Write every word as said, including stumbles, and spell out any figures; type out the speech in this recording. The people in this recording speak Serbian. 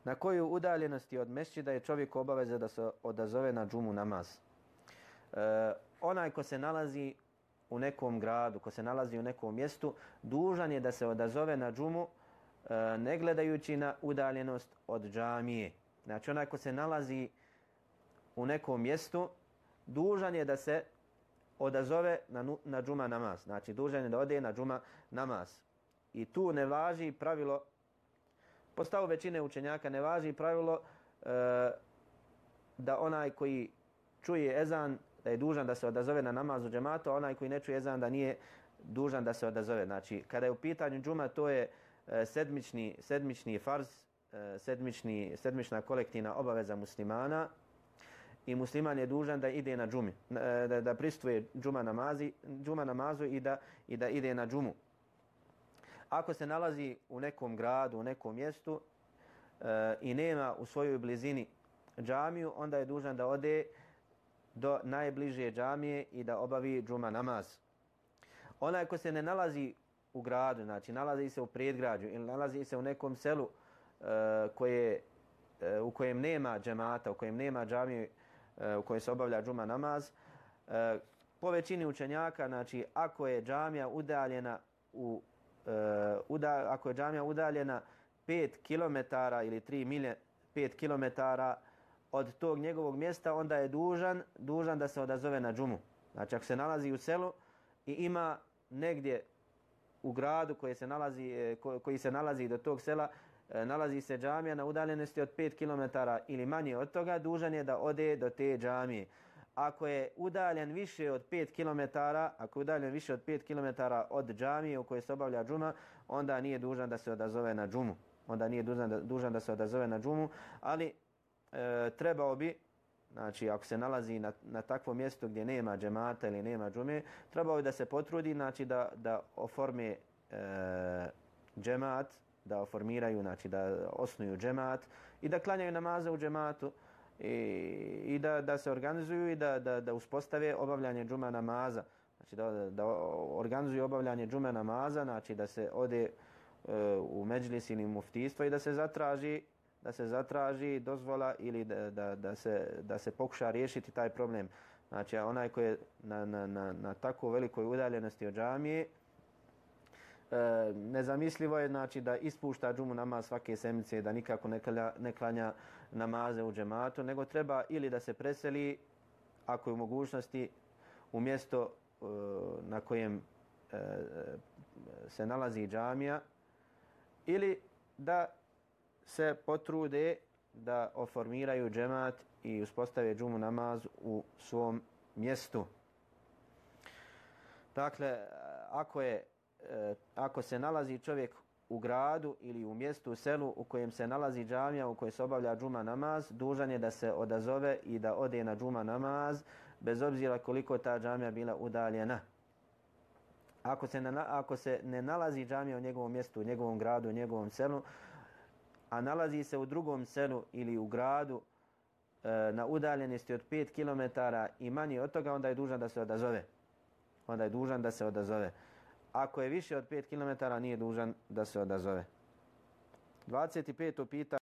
Na koju udaljenosti od mesdžida je čovjek obaveza da se odazove na džumu namaz? E, onaj ko se nalazi u nekom gradu, ko se nalazi u nekom mjestu, dužan je da se odazove na džumu e, ne gledajući na udaljenost od džamije. Znači onaj ko se nalazi u nekom mjestu, dužan je da se odazove na, na džuma namaz. Znači dužan je da ode na džuma namaz. I tu ne važi pravilo, po stavu većine učenjaka ne važi pravilo e, da onaj koji čuje ezan da je dužan da se odazove na namaz u džematu, a onaj koji ne čuje ezan da nije dužan da se odazove. Znači kada je u pitanju džuma, to je e, sedmični, sedmični farz, e, sedmični, sedmična kolektivna obaveza muslimana i musliman je dužan da ide na džumi, e, da, da pristvuje džuma, namazi, džuma namazu i da, i da ide na džumu. Ako se nalazi u nekom gradu, u nekom mjestu e, i nema u svojoj blizini džamiju, onda je dužan da ode do najbliže džamije i da obavi džuma namaz. Onaj ko se ne nalazi u gradu, znači nalazi se u predgrađu ili nalazi se u nekom selu e, koje, e, u kojem nema džemata, u kojem nema džamije e, u kojoj se obavlja džuma namaz, e, po većini učenjaka, znači ako je džamija udaljena u Uh, uda, ako je džamija udaljena pet kilometara ili tri milje, pet kilometara od tog njegovog mjesta, onda je dužan, dužan da se odazove na džumu. Znači ako se nalazi u selu i ima negdje u gradu koji se nalazi, ko, koji se nalazi do tog sela, nalazi se džamija na udaljenosti od pet kilometara ili manje od toga, dužan je da ode do te džamije. Ako je udaljen više od pet kilometara, ako je udaljen više od pet kilometara od džamije u kojoj se obavlja džuma, onda nije dužan da se odazove na džumu. Onda nije dužan da, dužan da se odazove na džumu, ali e, trebao bi, znači ako se nalazi na, na takvom mjestu gdje nema džemata ili nema džume, trebao bi da se potrudi, znači da, da oforme e, džemat, da oformiraju, znači da osnuju džemat i da klanjaju namaze u džematu. I, i da, da se organizuju i da, da, da uspostave obavljanje džuma namaza. Znači da, da organizuju obavljanje džuma namaza, znači da se ode uh, u međlis ili muftijstvo i da se zatraži, da se zatraži dozvola ili da, da, da, se, da se pokuša riješiti taj problem. Znači onaj koji je na, na, na, na tako velikoj udaljenosti od džamije, E, nezamislivo je znači da ispušta džumu namaz svake sedmice, da nikako ne klanja, ne klanja namaze u džematu, nego treba ili da se preseli, ako je u mogućnosti, u mjesto e, na kojem e, se nalazi džamija, ili da se potrude da oformiraju džemat i uspostave džumu namaz u svom mjestu. Dakle, ako je ako se nalazi čovjek u gradu ili u mjestu, u selu u kojem se nalazi džamija u kojoj se obavlja džuma namaz, dužan je da se odazove i da ode na džuma namaz, bez obzira koliko ta džamija bila udaljena. Ako se ne, ako se ne nalazi džamija u njegovom mjestu, u njegovom gradu, u njegovom selu, a nalazi se u drugom selu ili u gradu e, na udaljenosti od pet kilometara i manje od toga, onda je dužan da se odazove. Onda je dužan da se odazove. Ako je više od pet kilometara, nije dužan da se odazove. dvadeset peto pitanje.